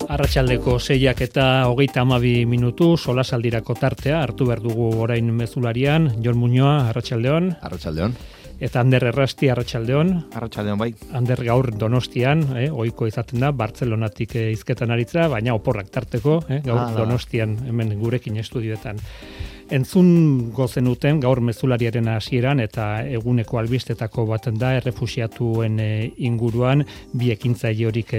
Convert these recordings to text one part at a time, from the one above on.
Arratsaldeko 6 eta 32 solasaldirako tartea hartu behar dugu orain mezularian. Jon Muñoa, arratsaldeon. Arratsaldeon. Eta Ander Errasti, arratsaldeon. Arratsaldeon bai. Ander gaur Donostian, ohiko izaten da, Bartzelonatik hizketan aritza, baina oporrak tarteko, gaur Donostian hemen gurekin estudioetan. Entzun gozenuten gaur mezulariaren hasieran eta eguneko albistetako baten da errefuxiatuen inguruan bi ekintzaile horik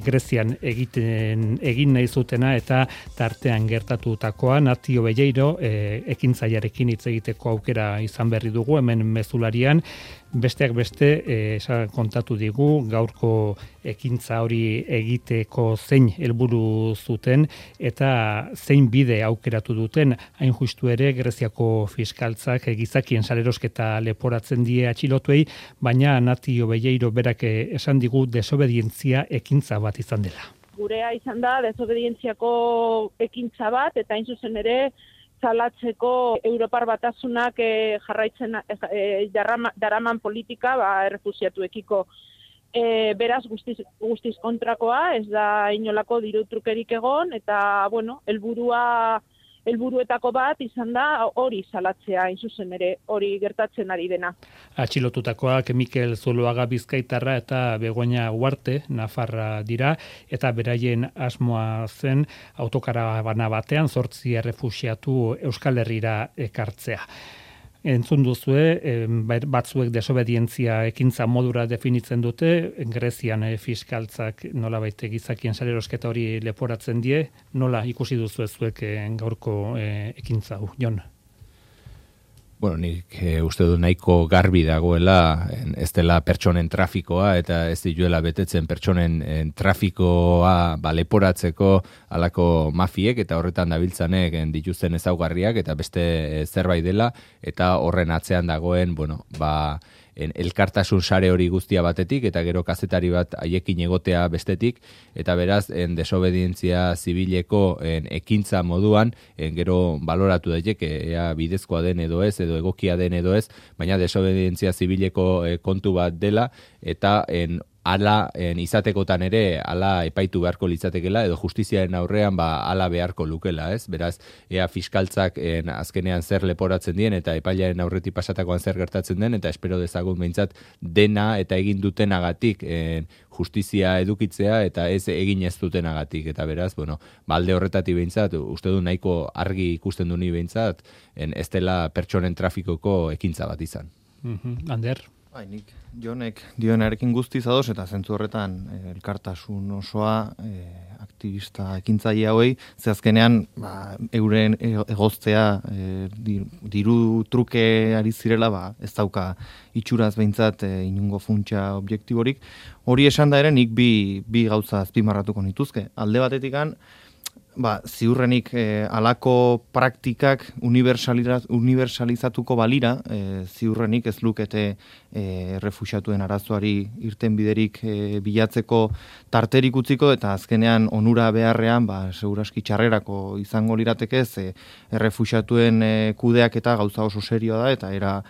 Grezian egin nahi zutena eta tartean gertatutakoa. Natio Belleiro ekintzailearekin hitz egiteko aukera izan berri dugu hemen mezularian. Besteak beste kontatu digu gaurko ekintza hori egiteko zein helburu zuten eta zein bide aukeratu duten. Hain justu ere Greziako fiskaltzak gizakien salerosketa leporatzen die atxilotuei, baina Natio Belleiro berak esan digu desobedientzia ekintza bat izan dela. Gurea izan da desobedientziako ekintza bat eta hain zuzen ere salatzeko Europar Batasunak jarraitzen daraman politika errefuxiatuekiko. Beraz guztiz kontrakoa, ez da inolako diru trukerik egon eta helburuetako bat izan da hori salatzea, hain zuzen ere hori gertatzen ari dena. Atxilotutakoak Mikel Zuloaga Bizkaitarra eta Begoña Uarte Nafarra dira eta beraien asmoa zen autokarabana batean 8 errefuxiatu Euskal Herrira ekartzea. Entzun duzue, batzuek desobedientzia ekintza modura definitzen dute, Grezian fiskaltzak nolabait gizakien salerosketa hori leporatzen die, nola ikusi duzu zuek gaurko ekintza hau, Jon? Bueno, nik uste du nahiko garbi dagoela, ez dela pertsonen trafikoa eta ez dituela betetzen pertsonen trafikoa leporatzeko halako mafiek eta horretan dabiltzanek dituzten ezaugarriak eta beste zerbait dela eta horren atzean dagoen, elkartasun sare hori guztia batetik eta gero kazetari bat haiekin egotea bestetik eta beraz desobedientzia zibileko ekintza moduan gero baloratu daiteke ea bidezkoa den edo ez edo egokia den edo ez, baina desobedientzia zibileko kontu bat dela eta ala izatekotan ere ala epaitu beharko litzatekela edo justiziaren aurrean ala beharko lukela, ez? Beraz, ea fiskaltzak azkenean zer leporatzen dien eta epailearen aurretik pasatakoan zer gertatzen den eta espero dezagun behintzat dena eta egin dutenagatik justizia edukitzea eta ez egin ez dutenagatik eta beraz, alde horretatik behintzat, uste du nahiko argi ikusten du ni behintzat, ez dela pertsonen trafikoko ekintza bat izan. Ander? Nik Jonek dioenarekin guztiz ados eta zentzu horretan elkartasun osoa aktivista ekintzaile hauei, ze azkenean euren egoztea diru truke ari zirela ez dauka itxuraz behintzat inungo funtsa objektiborik. Hori esan da ere nik bi gauza azpimarratuko nituzke. Alde batetikan ziurrenik alako praktikak universalizatuko balira, ziurrenik ez lukete errefuxiatuen arazoari irten biderik bilatzeko tarterik utziko eta azkenean onura beharrean seguraski txarrerako izango liratekez errefuxiatuen kudeak eta gauza oso serioa da eta era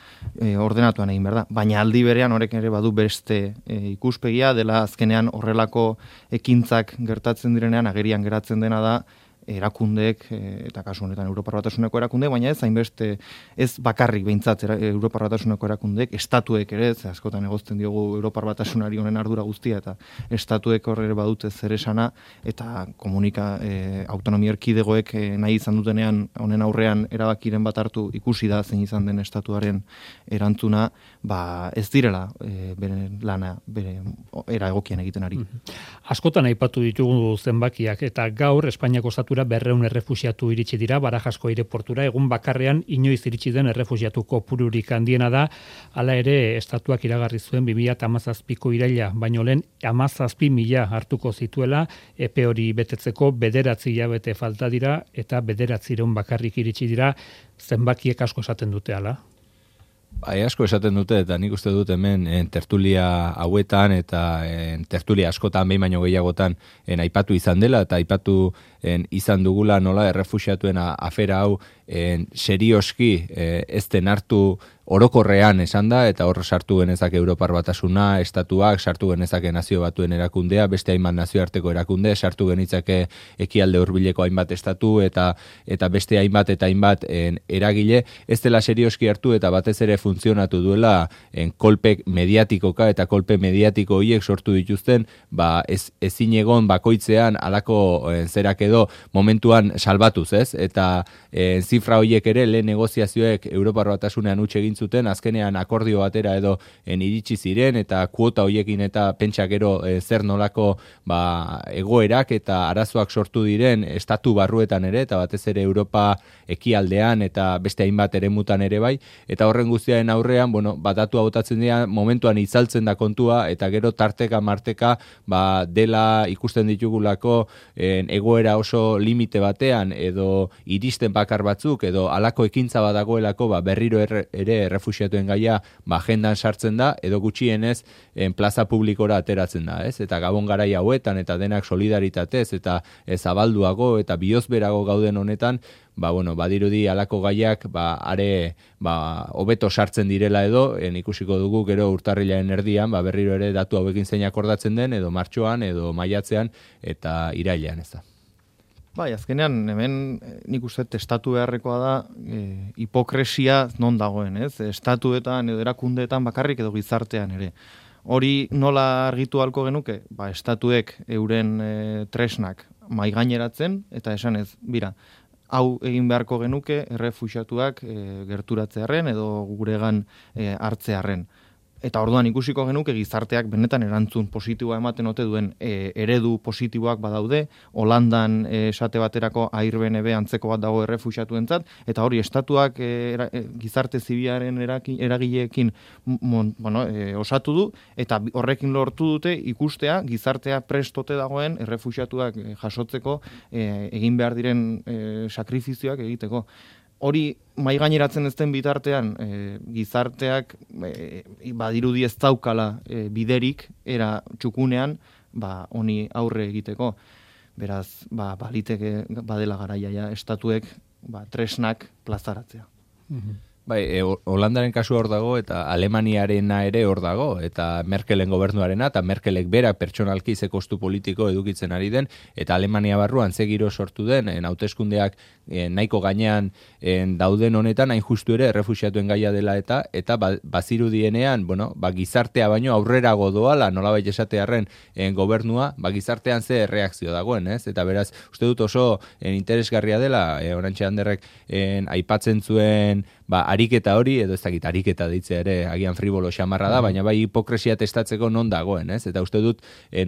ordenatuan egin behar da. Baina aldi berean horrek ere badu beste ikuspegia dela azkenean horrelako ekintzak gertatzen direnean agerian geratzen dena da erakundeek, eta kasu honetan Europar Batasuneko erakundeek, baina ez hainbeste ez bakarrik behintzat Europar Batasuneko erakundeek, estatuek ere, askotan egozten diogu Europar Batasunari honen ardura guztia, eta estatuek horre badute zer esana, eta autonomia erkidegoek nahi izan dutenean honen aurrean erabakiren bat hartu ikusi da zein izan den estatuaren erantzuna, ez direla bere lana, bere era egokian egiten ari. Askotan aipatu ditugu zenbakiak, eta gaur Espainiako estatura 200 errefuxiatu iritsi dira Barajasko aireportura, egun bakarrean inoiz iritsi den errefuxiatu kopururik handiena da, hala ere estatuak iragarri zuen 2017ko iraila, baino lehen 17.000 hartuko zituela, epe hori betetzeko 9 hilabete falta dira eta 900 bakarrik iritsi dira, zenbakiek asko esaten dute hala. Asko esaten dute eta nik uste dut hemen tertulia hauetan eta tertulia askotan behin baino gehiagotan aipatu izan dela eta aipatu izan dugula nola errefuxiatuen afera hau serioski ez den hartu orokorrean esan da, eta hor sartu genezake Europar Batasuna, estatuak, sartu genezake Nazio Batuen erakundea, beste hainbat nazioarteko erakunde, sartu genitzake ekialde hurbileko hainbat estatu, eta beste hainbat eta hainbat eragile, ez dela serioski hartu eta batez ere funtzionatu duela kolpe mediatikoka eta kolpe mediatiko horiek sortu dituzten, ezin egon bakoitzean alako zerak edo momentuan salbatuz, ez? Eta zifra horiek ere lehen negoziazioek Europar Batasunean utxe egin zuten, azkenean akordio batera edo iritsi ziren, eta kuota horiekin eta pentsa gero zer nolako egoerak eta arazoak sortu diren estatu barruetan ere, eta batez ere Europa ekialdean eta beste hainbat eremutan ere bai, eta horren guztiaren aurrean, datua botatzen dira, momentuan itzaltzen da kontua, eta gero tarteka marteka dela ikusten ditugulako egoera oso limite batean, edo iristen bakar batzuk, edo alako ekintza badagoelako berriro ere errefuxiatuen gaia agendan sartzen da, edo gutxienez plaza publikora ateratzen da, ez? Eta gabon garai hauetan, eta denak solidaritatez, eta zabalduago, eta bihozberago gauden honetan, badirudi alako gaiak are hobeto sartzen direla edo, ikusiko dugu gero urtarrilaren erdian, berriro ere datu hauekin zein akordatzen den, edo martxoan, edo maiatzean, eta irailean, ez da. Azkenean, hemen nik uste estatu beharrekoa da hipokresia non dagoen, ez? Estatuetan edo erakundeetan bakarrik edo gizartean ere. Hori nola argitu halko genuke? Estatuek euren tresnak maigaineratzen, eta esanez, bira, hau egin beharko genuke errefuxiatuak gerturatzearren edo guregan hartzearren. Eta orduan ikusiko genuke gizarteak benetan erantzun positiboa ematen ote duen eredu positiboak badaude, Holandan esate baterako AIRBNB antzeko bat dago errefuxiatuentzat, eta hori estatuak gizarte zibilaren eragileekin osatu du, eta horrekin lortu dute ikustea gizartea prestote dagoen errefuxiatuak jasotzeko egin behar diren sakrifizioak egiteko. Hori maigaineratzen ez den bitartean gizarteak badirudi ez daukala biderik era txukunean honi aurre egiteko. Beraz, baliteke badela garaia estatuek tresnak plazaratzea. Holandaren kasu hor dago, eta Alemaniarena ere hor dago, eta Merkelen gobernuarena, eta Merkelek berak pertsonalki ze kostu politiko edukitzen ari den, eta Alemania barruan ze giro sortu den, hauteskundeak nahiko gainean dauden honetan, hain justu ere errefuxiatuen gaia dela eta bazirudienean, gizartea baino aurrerago doala, nolabait esatearren gobernua, gizartean ze reakzio dagoen, ez? Eta beraz, uste dut oso interesgarria dela, Orantxe Anderrek aipatzen zuen ariketa hori, edo ez dakit ariketa deitzea ere agian fribolo xamarra da, baina hipokresia testatzeko non dagoen, ez? Eta uste dut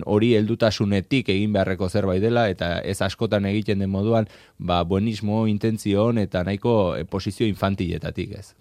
hori heldutasunetik egin beharreko zerbait dela, eta ez askotan egiten den moduan, buenismo, intentzio eta nahiko posizio infantiletatik, ez?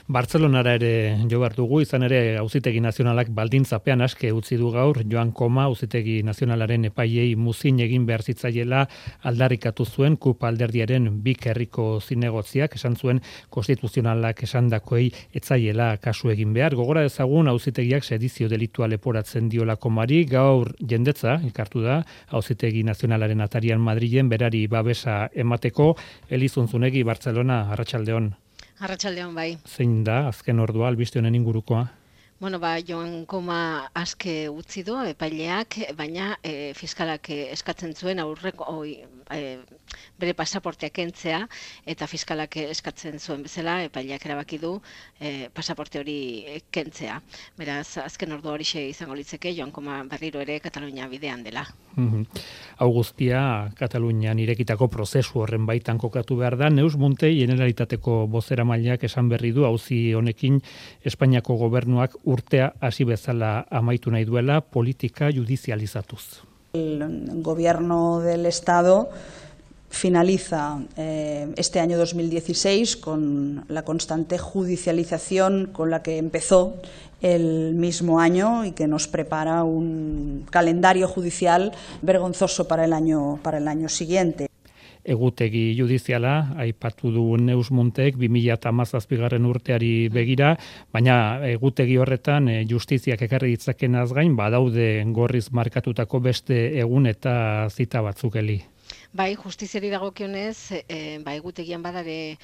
Bartzelonara ere jo behar dugu, izan ere Auzitegi Nazionalak baldintzapean aske utzi du gaur, Joan Koma Auzitegi Nazionalaren epaiei muzin egin behar zitzaiela aldarrikatu zuen KUP alderdiaren bik herriko zinegotziak, esan zuen konstituzionalak esandakoei etzaiela kasu egin behar. Gogora ezagun Auzitegiak sedizio delitua leporatzen diola Komari, gaur jendetza elkartu da Auzitegi Nazionalaren atarian Madrilen berari babesa emateko. Elizuntzunegi Bartzelona, arratsaldeon. Arratsaldeon bai. Zein da azken ordua albiste honen ingurukoa? Joan Koma aske utzi du epaileak, baina fiskalak eskatzen zuen aurreko bere pasaportea kentzea, eta fiskalak eskatzen zuen bezala epaileak erabaki du pasaporte hori kentzea. Beraz, azken ordu horixe izango litzeke Joan Koma berriro ere Katalunia bidean dela. Hau guztia Katalunian irekitako prozesu horren baitan kokatu behar da. Neus Muntei Generalitateko bozeramaileak esan berri du auzi honekin Espainiako gobernuak urtea hasi bezala amaitu nahi duela politika judizializatuz. El gobierno del Estado finaliza este año 2016 con la constante judicialización con la que empezó el mismo año y que nos prepara un calendario judicial vergonzoso para el año siguiente. Egutegi judiziala, aipatu du Neus Muntek 2017 urteari begira, baina egutegi horretan justiziak ekarri ditzakenaz gain badaude gorriz markatutako beste egun eta zita batzuk eli. Bai, justiziari dagokionez, egutegian badare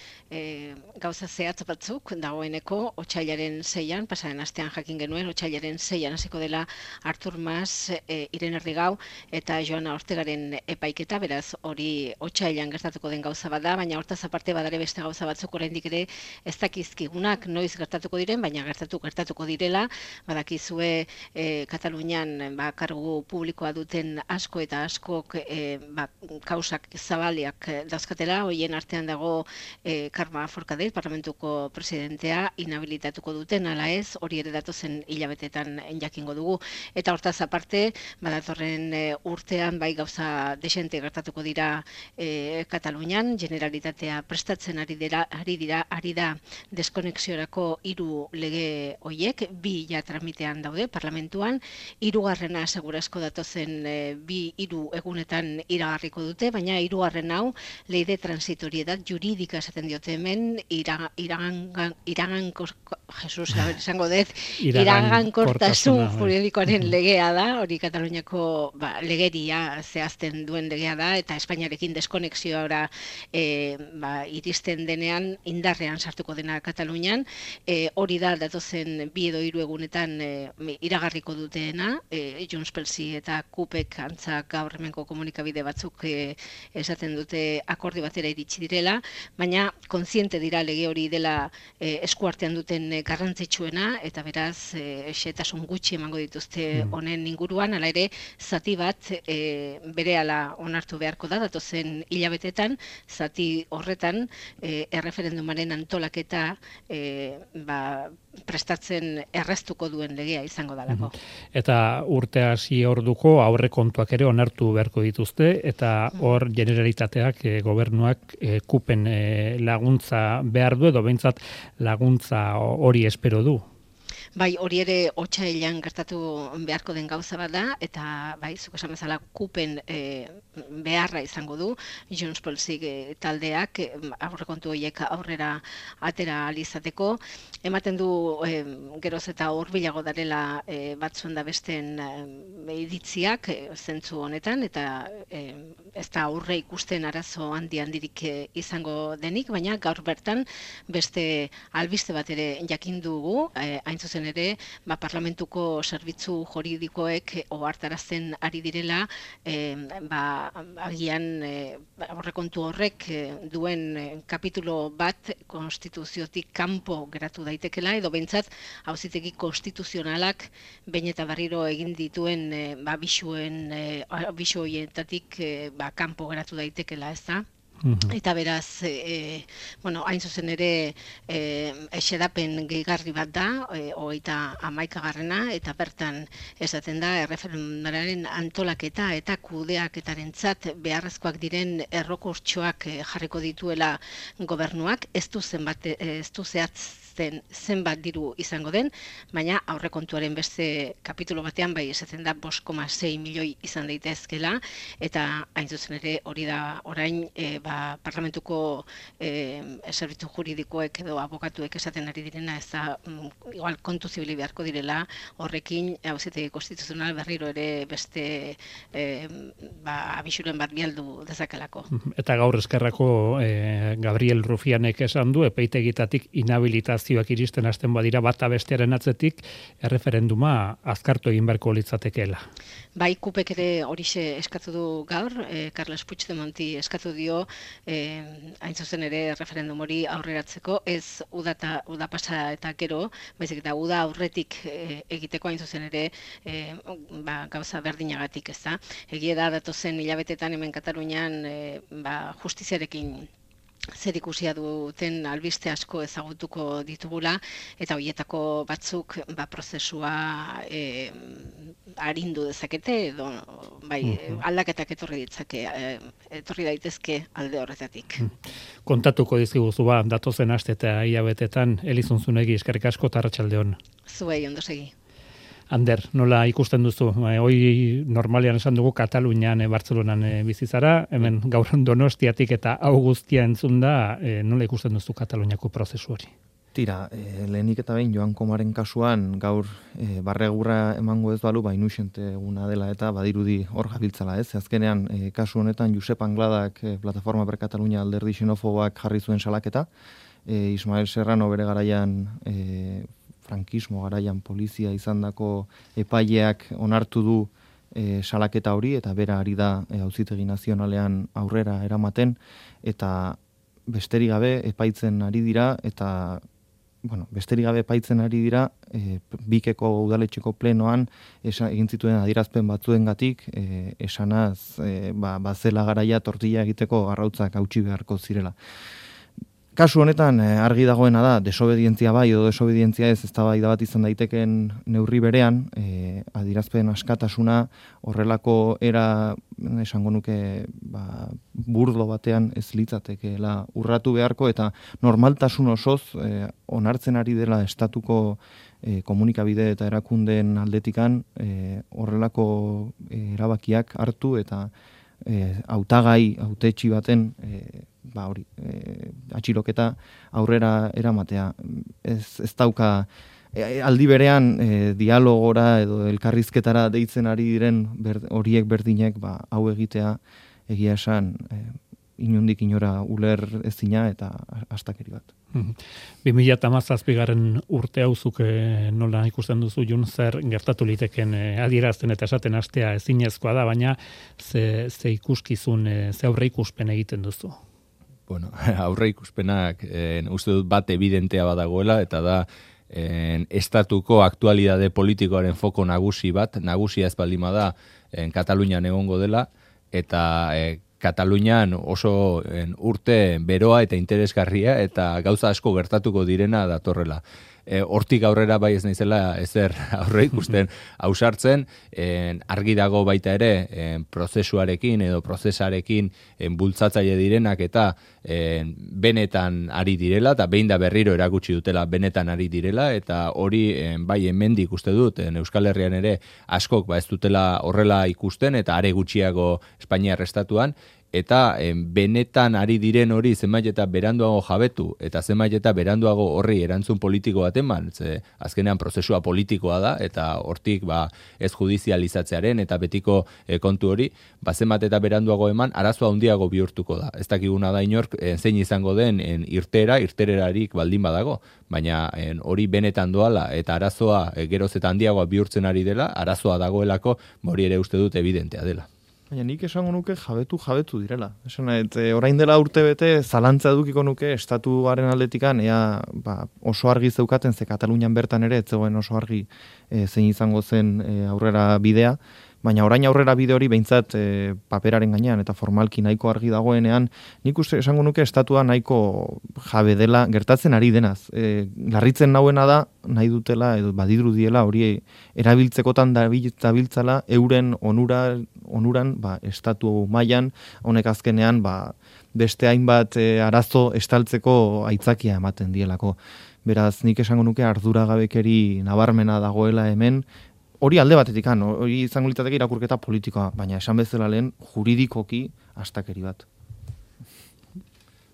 gauza zehatz batzuk dagoeneko otsailaren 6an, pasaren astean jakin genuen, otsailaren 6an hasiko dela Artur Mas, Irene Rigau eta Joana Ortegaren epaiketa, beraz hori otsailean gertatuko den gauza bada, baina hortaz aparte badare beste gauza batzuk oraindik ere ez dakizkigunak noiz gertatuko diren, baina gertatuko direla, badakizue Katalunian kargu publikoa duten asko eta askok kausak zabaliak dauzkatela, hoien artean dago Carme Forcadell, parlamentuko presidentea, inhabilitatuko duten, ala ez, hori ere datozen hilabetetan jakingo dugu. Eta hortaz aparte, badatorren urtean bai gauza desente gertatuko dira Katalunian, Generalitatea prestatzen ari da deskonexiorako 3 lege hoiek, 2 ja tramitean daude parlamentuan, 3. segurazko datozen 2-3 egunetan iragarriko dute, baina 3. hau ley de transitoriedad jurídica esaten diote hemen, iragankortasun juridikoaren legea da, hori Kataluniako legeria zehazten duen legea da, eta Espainiarekin deskonexioa iristen denean indarrean sartuko dena Katalunian, hori da datozen 2 edo 3 egunetan iragarriko dutena, Junts pelsi eta KUPek antza gaur hemenko komunikabide batzuk esaten dute akordio batera iritsi direla, baina kontziente dira lege hori dela eskuartean duten garrantzitsuena, eta beraz xehetasun gutxi emango dituzte honen inguruan, hala ere zati bat berehala onartu beharko da datozen hilabetetan, zati horretan erreferendumaren antolaketa prestatzen erraztuko duen legea izango dalako. Eta urte hasi orduko aurrekontuak ere onartu beharko dituzte, eta hor Generalitateak gobernuak KUPen laguntza behar du, edo behintzat laguntza hori espero du. Bai, hori ere otsailean gertatu beharko den gauza bat da, eta bai, zuk esan bezala KUPen beharra izango du, Junts pelsi taldeak aurrekontu horiek aurrera atera alizateko, ematen du geroz eta hurbilago darela batzuen da besten iritziak zentzu honetan, eta ez da aurre ikusten arazo handirik izango denik, baina gaur bertan beste albiste bat ere jakin dugu, hain zuzen ere, parlamentuko zerbitzu juridikoek ohartarazten ari direla, agian aurrekontu horrek duen kapitulo bat konstituziotik kanpo geratu daitekela, edo behintzat auzitegi konstituzionalak behin eta berriro egin dituen bisu horietatik kanpo geratu daitekela, ez da? Eta beraz, hain zuzen ere xedapen gehigarri bat da, 31. eta bertan esaten da erreferendumaren antolaketa eta kudeaketarentzat beharrezkoak diren errekurtsoak jarriko dituela gobernuak, ez du zenbat diru izango den, baina aurrekontuaren beste kapitulo batean bai esaten da 5,6 milioi izan daitezkela, eta hain zuzen ere hori da orain parlamentuko zerbitzu juridikoek edo abokatuek esaten ari direna, ez da igual kontu zibili beharko direla horrekin auzitegi konstituzional berriro ere beste abisuren bat bialdu dezakelako. Eta gaur eskerrako Gabriel Rufianek esan du epaitegitatik inhabilitazioak iristen hasten badira bata bestearen atzetik erreferenduma azkartu egin beharko litzatekeela. Bai, KUPek ere horixe eskatu du gaur, Carles Puigdemonti eskatu dio hain zuzen ere referendum hori aurreratzeko, ez uda pasa eta gero, baizik eta uda aurretik egiteko hain zuzen ere gauza berdinagatik, ez da. Egia da datozen hilabetetan hemen Katalunian justiziarekin zer ikusia duten albiste asko ezagutuko ditugula, eta horietako batzuk prozesua arindu dezakete, edo aldaketak etorri daitezke alde horretatik. Kontatuko dizkiguzu datozen aste eta hilabetetan, Elizun Zunegi, eskerrik asko eta arratsaldeon. Zuei, ondo segi. Ander, nola ikusten duzu? Hoi normalean esan dugu Katalunian, Bartzelonan bizi zara, hemen gaur Donostiatik eta hau guztia entzun da, nola ikusten duzu Kataluniako prozesu hori? Tira, lehenik eta behin Joan Komaren kasuan gaur barregurra emango ez balu, inusente eguna dela eta badirudi hor gabiltzala, ez? Azkenean, kasu honetan Josep Angladak Plataforma per Katalunia alderdi xenofoboak jarri zuen salaketa, Ismael Serrano bere garaian, frankismo garaian polizia izandako epaileak onartu du salaketa hori, eta bera ari da auzitegi nazionalean aurrera eramaten, eta besterik gabe epaitzen ari dira, eta besterik gabe epaitzen ari dira, Bikeko udaletxeko plenoan egin zituen adierazpen batzuengatik esanaz bazela garaia tortilla egiteko arrautzak hautsi beharko zirela. Kasu honetan argi dagoena da, desobedientzia bai edo desobedientzia ez eztabaida bat izan daiteken neurri berean, adierazpen askatasuna horrelako era esango nuke burdo batean ez litzatekeela urratu beharko, eta normaltasun osoz onartzen ari dela estatuko komunikabide eta erakundeen aldetikan horrelako erabakiak hartu eta hautagai, hautetxi baten atxiloketa aurrera eramatea. Ez dauka aldi berean dialogora edo elkarrizketara deitzen ari diren horiek berdinek hau egitea egia esan inondik inora uler ezina eta astakeri bat. 2017 urte hauzuk nola ikusten duzu, Jun, zer gertatu liteken adierazten eta esaten hastea ezinezkoa da, baina ze ikuskizun, ze aurre ikuspen egiten duzu? Bueno, aurre ikuspenak uste dut bat evidentea badagoela, eta da estatuko aktualidade politikoaren foko nagusia ez baldin bada Katalunian egongo dela, eta Katalunian oso urte beroa eta interesgarria eta gauza asko gertatuko direna datorrela. Hortik aurrera bai ez naizela ezer aurre ikusten ausartzen, argi dago baita ere prozesuarekin edo prozesarekin bultzatzaile direnak eta benetan ari direla, eta behin da berriro erakutsi dutela benetan ari direla, eta hori bai hemendik uste dut Euskal Herrian ere askok ez dutela horrela ikusten, eta are gutxiago Espainiar estatuan, eta benetan ari diren hori zenbait eta beranduago jabetu, eta zenbait eta beranduago horri erantzun politiko bat eman, azkenean prozesua politikoa da, eta hortik ez judizializatzearen eta betiko kontu hori, zenbait eta beranduago eman, arazoa handiago bihurtuko da. Ez dakiguna da inork zein izango den irtererarik baldin badago, baina hori benetan doala, eta arazoa geroz eta handiagoa bihurtzen ari dela, arazoa dagoelako, hori ere uste dut evidentea dela. Baina nik esango nuke jabetu direla. Orain dela urte bete zalantza edukiko nuke estatuaren aldetikan oso argi zeukaten, ze Katalunian bertan ere ez zegoen oso argi zein izango zen aurrera bidea, baina orain aurrera bide hori behintzat paperaren gainean eta formalki nahiko argi dagoenean, nik uste esango nuke estatua nahiko jabe dela gertatzen ari denaz. Larritzen nauena da, nahi dutela edo badirudiela hori erabiltzekotan dabiltzala euren onuran estatu mailan, honek azkenean beste hainbat arazo estaltzeko aitzakia ematen dielako. Beraz, nik esango nuke arduragabekeri nabarmena dagoela hemen, hori alde batetik, hori izango litzateke irakurketa politikoa, baina esan bezala lehen juridikoki astakeri bat.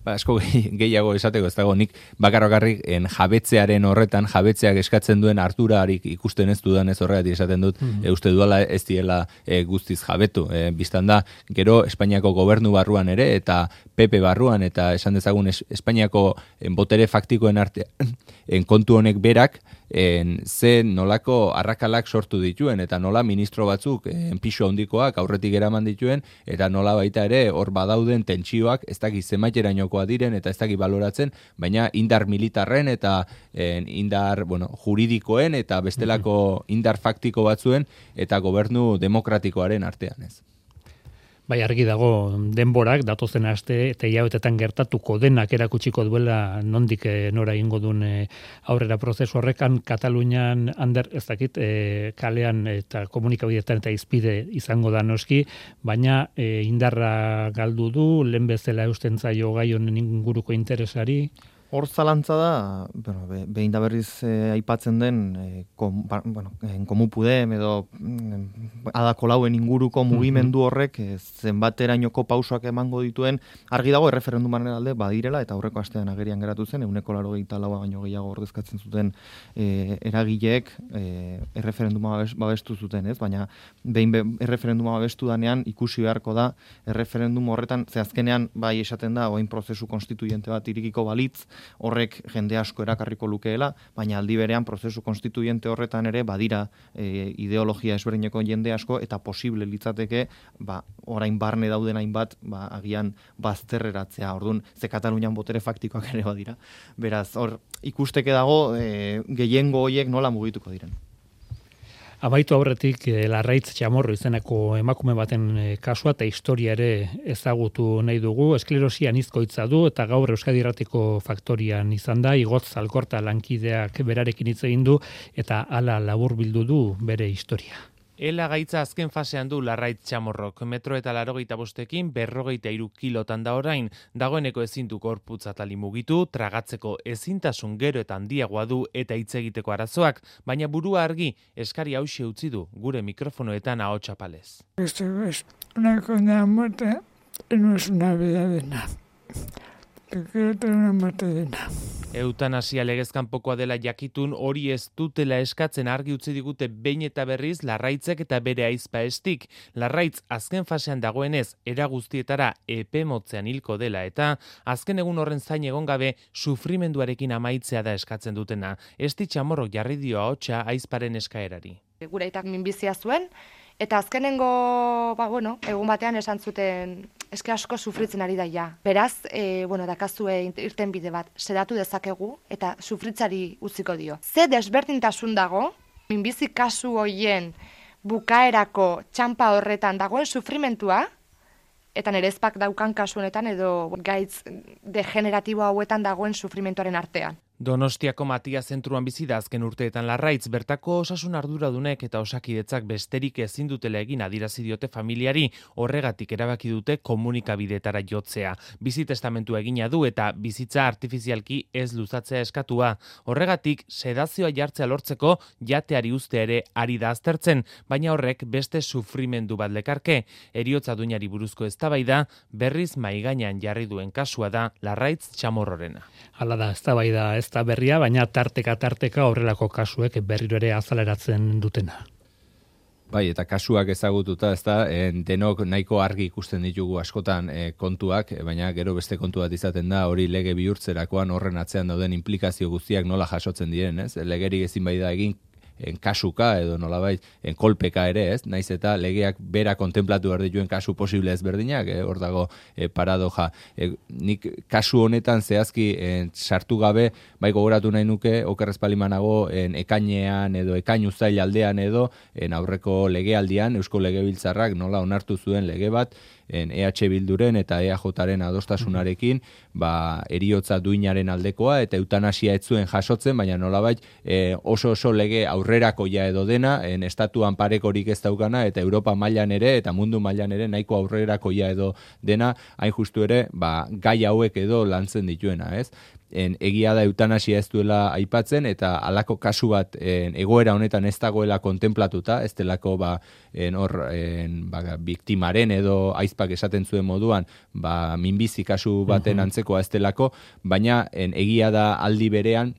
Asko gehiago esateko ez dago, nik bakarrik jabetzearen horretan, jabetzeak eskatzen duen ardurarik ikusten ez dudan ez horregatik esaten dut, uste duela ez diela guztiz jabetu. Bistan da, gero Espainiako gobernu barruan ere, eta PP barruan, eta esan dezagun Espainiako botere faktikoen artean, kontu honek berak, ze nolako arrakalak sortu dituen, eta nola ministro batzuk pisu handikoak aurretik eraman dituen, eta nola baita ere hor badauden tentsioak ez dakit zenbaiterainokoa diren, eta ez dakit baloratzen, baina indar militarren eta indar juridikoen eta bestelako indar faktiko batzuen eta gobernu demokratikoaren artean ez. Bai, argi dago denborak, datozen aste eta hilabetetan gertatuko denak erakutsiko duela nondik nora egingo duen aurrera prozesu horrekan. Katalunian ez dakit kalean eta komunikabideetan eta izpide izango da noski, baina indarra galdu du, lehen bezala eusten zaio gai honen inguruko interesari. Hor zalantza da, behin da berriz aipatzen den Komu Podem edo Ada Colauen inguruko mugimendu horrek zenbaterainoko pausoak emango dituen, argi dago erreferendumaren alde badirela, eta aurreko astean agerian geratu zen, 94 baino gehiago ordezkatzen zuten eragileek erreferenduma babestu zuten, ez? Baina behin erreferenduma babestu danean ikusi beharko da erreferendum horretan, ze azkenean bai esaten da, orain prozesu konstituiente bat irekiko balitz, horrek jende asko erakarriko lukeela, baina aldi berean prozesu konstituiente horretan ere badira ideologia ezberdineko jende asko, eta posible litzateke orain barne dauden hainbat agian bazterreratzea. Orduan, ze Katalunian botere faktikoak ere badira. Beraz, hor ikusteke dago gehiengo horiek nola mugituko diren. Amaitu aurretik Larraitz Chamorro izeneko emakume baten kasua eta historia ere ezagutu nahi dugu. Esklerosia anizkoitza du eta gaur Euskadi Irratiko Faktorian izan da. Igotz Alkorta lankideak berarekin hitz egin du eta hala laburbildu du bere historia. Ela gaitza azken fasean du Larraitz Chamorrok, 1,85 m, 53 kilotan da orain, dagoeneko ezin du gorputz atali mugitu, tragatzeko ezintasun gero eta handiagoa du eta hitz egiteko arazoak, baina burua argi, eskari hauxe utzi du gure mikrofonoetan ahotsa palez. Esto es una condena a muerte, no es una vida digna. Que quiero tener una muerte digna. Eutanasia legezkanpokoa dela jakitun hori ez dutela eskatzen argi utzi digute behin eta berriz Larraitzek eta bere ahizpa estik. Larraitz azken fasean dagoenez era guztietara epe motzean hilko dela eta azken egun horren zain egon gabe sufrimenduarekin amaitzea da eskatzen dutena. Esti Chamorrok jarri dio ahotsa ahizparen eskaerari. Gure aitak minbizia zuen, eta azkenengo, egun batean esan zuten eske asko sufritzen ari daia. Beraz, dakazue irtenbide bat, sedatu dezakegu eta sufritzari utziko dio. Ze desberdintasun dago, minbizi kasu hoien bukaerako txanpa horretan dagoen sufrimentua, eta nerezpak daukan kasu honetan edo gaitz degeneratibo hauetan dagoen sufrimentuaren artean. Donostiako Matia zentruan bizi da azken urteetan Larraitz, bertako osasun arduradunek eta osakidetzak besterik ezin dutela egin adierazi diote familiari, horregatik erabaki dute komunikabidetara jotzea. Bizi testamentua egina du eta bizitza artifizialki ez luzatzea eskatua. Horregatik sedazioa jartzea lortzeko jateari uztea ere ari da aztertzen, baina horrek beste sufrimendu bat lekarke. Heriotza duinari buruzko eztabaida berriz maigainan jarri duen kasua da Larraitz Chamorrorena. Hala da, eztabaida ez da berria, baina tarteka horrelako kasuek berriro ere azaleratzen dutena. Bai, eta kasuak ezagututa, denok nahiko argi ikusten ditugu askotan kontuak, baina gero beste kontu bat izaten da, hori lege bihurtzerakoan horren atzean dauden implikazio guztiak nola jasotzen diren, ez? Legerik ezin bai da egin kasuka edo nolabait kolpeka ere, ez? Naiz eta legeak bera kontemplatu behar dituen kasu posible ezberdinak, hor dago paradoja. Nik kasu honetan zehazki sartu gabe, bai gogoratu nahi nuke, oker ez palimanago ekainean edo ekain uzail aldean edo aurreko legealdian, Eusko Legebiltzarrak nola onartu zuen lege bat, EH Bilduren eta EAJaren adostasunarekin, heriotza duinaren aldekoa eta eutanasia ez zuen jasotzen, baina nolabait oso lege aurrerakoia edo dena, estatuan parekorik ez daukana eta Europa mailan ere eta mundu mailan ere nahiko aurrerakoia edo dena, hain justu ere, gai hauek edo lantzen dituena, ez? Egia da eutanasia ez duela aipatzen eta halako kasu bat egoera honetan ez dagoela kontemplatuta, ez delako biktimaren edo aizpak esaten zuen moduan minbizi kasu baten antzekoa ez delako, baina egia da aldi berean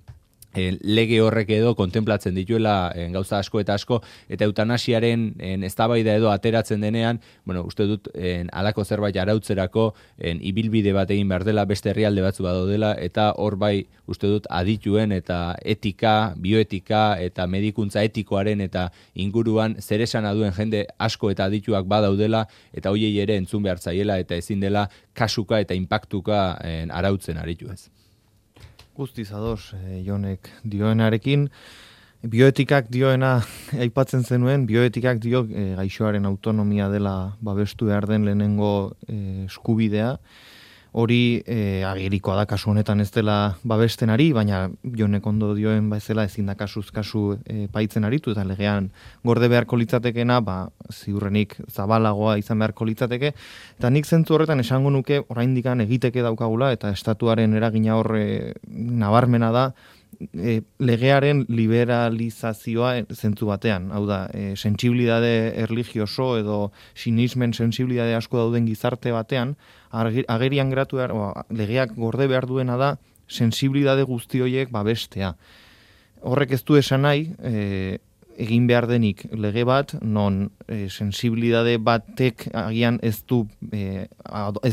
lege horrek edo kontemplatzen dituela gauza asko eta asko, eta eutanasiaren eztabaida edo ateratzen denean, uste dut halako zerbait arautzerako ibilbide bat egin behar dela, beste herrialde batzu badaudela, eta hor bai uste dut adituen eta etika, bioetika eta medikuntza etikoaren eta inguruan zeresana duen jende asko eta adituak badaudela, eta hoiei ere entzun behar zaiela eta ezin dela kasuka eta inpaktuka arautzen aritu ez. Guztiz ados, Jonek dioenarekin, bioetikak dioena aipatzen zenuen, bioetikak dio gaixoaren autonomia dela babestu behar den lehenengo eskubidea, hori agerikoa da kasu honetan ez dela babesten ari, baina Jonek ondo dioen bezala ezin da kasuz kasu paitzen aritu, eta legean gorde beharko litzatekena, ziurrenik zabalagoa izan beharko litzateke, eta nik zentzu horretan esango nuke oraindikan egiteke daukagula, eta estatuaren eragina hor nabarmena da, legearen liberalizazioa zentzu batean, hau da, sentsibilidade erlijioso edo sinismen sentsibilidade asko dauden gizarte batean, agerian geratu legeak gorde behar duena da sensibilidade guzti horiek babestea. Horrek ez du esan nahi, egin behar denik lege bat, non sensibilidade batek agian ez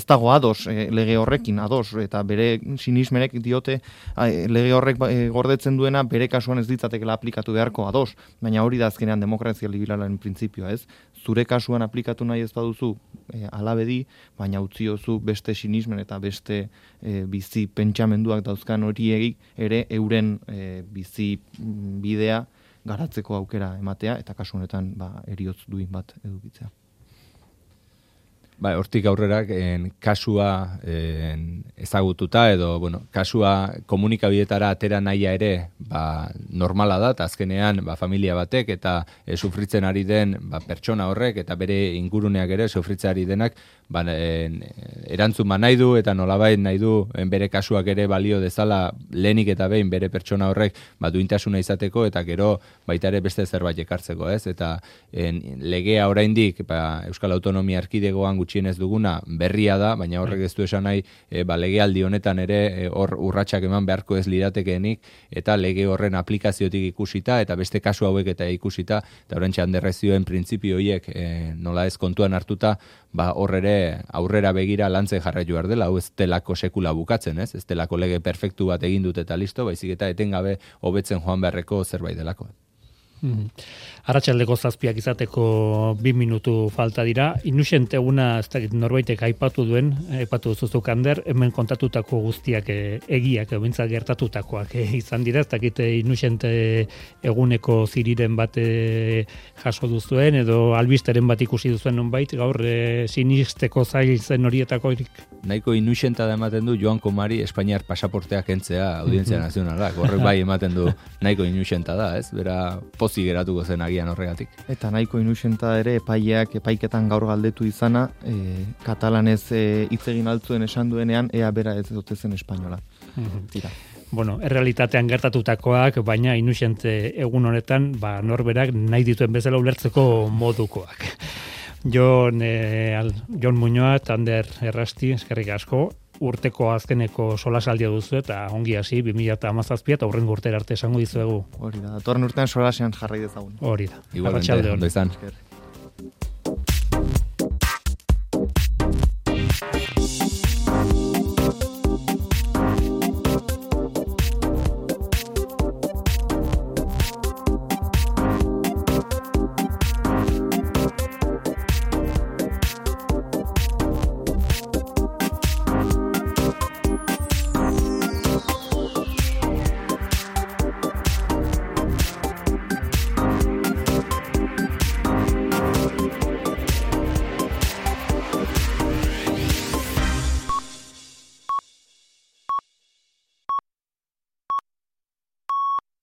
dago ados lege horrekin, ados, eta bere sinismenek diote lege horrek gordetzen duena bere kasuan ez ditzatekela aplikatu beharko ados, baina hori da azkenean demokrazia liberalaren printzipioa, ez? Zure kasuan aplikatu nahi ez baduzu alabedi, baina utziozu beste sinismen eta beste bizi pentsamenduak dauzkan horiek ere euren bizi bidea garatzeko aukera ematea, eta kasu honetan heriotz duin bat edukitzea. Hortik aurrera, kasua ezagututa edo, kasua komunikabideetara atera nahia ere normala da, eta azkenean familia batek eta sufritzen ari den pertsona horrek eta bere inguruneak ere sufritzen ari denak erantzun nahi du eta nolabait nahi du bere kasuak ere balio dezala lehenik eta behin bere pertsona horrek duintasuna izateko eta gero baita ere beste zerbait ekartzeko, ez? Eta legea oraindik Euskal Autonomia Erkidegoan gutxienez duguna berria da, baina horrek ez du esan nahi legealdi honetan ere hor urratsak eman beharko ez liratekeenik eta lege horren aplikaziotik ikusita eta beste kasu hauek eta ikusita eta oraintxe Anderrezioen printzipio horiek nola ez kontuan hartuta hor ere aurrera begira lantzen jarraitu behar dela, hau ez delako sekula bukatzen, ez delako lege perfektu bat egin dut eta listo, baizik eta etengabe hobetzen joan beharreko zerbait delako. Arratsaldeko 7 izateko 2 minutu falta dira. Inusent eguna, ez dakit norbaitek aipatu duzuzuk Ander, hemen kontatutako guztiak egiak, bintzat gertatutakoak izan dira, ez dakit Inusent eguneko ziriren bat jaso duzuen, edo albisteren bat ikusi duzuen nonbait, gaur sinisteko zail zen horietako erik. Nahiko Inusenta da ematen du Joan Komari Espainiar pasaportea kentzea Audientzia Nazionalak, horrek bai ematen du nahiko Inusenta da, ez? Bera pozi geratuko zen agian horregatik. Eta nahiko Inusenta ere epaiketan gaur galdetu izana, katalanez hitz egin altzuen esan duenean, ea bera ez dute zen espainola. Tira. Errealitatean gertatutakoak, baina Inusent egun honetan, norberak nahi dituen bezala ulertzeko modukoak. Jon Muñoa, Ander Errasti, eskerrik asko, urteko azkeneko solasaldia duzu eta ongi hasi 2017 eta hurrengo urtera arte esango dizuegu. Hori da, datorren urtean solasean jarrai dezagun. Hori da. Igualmente, ondo izan.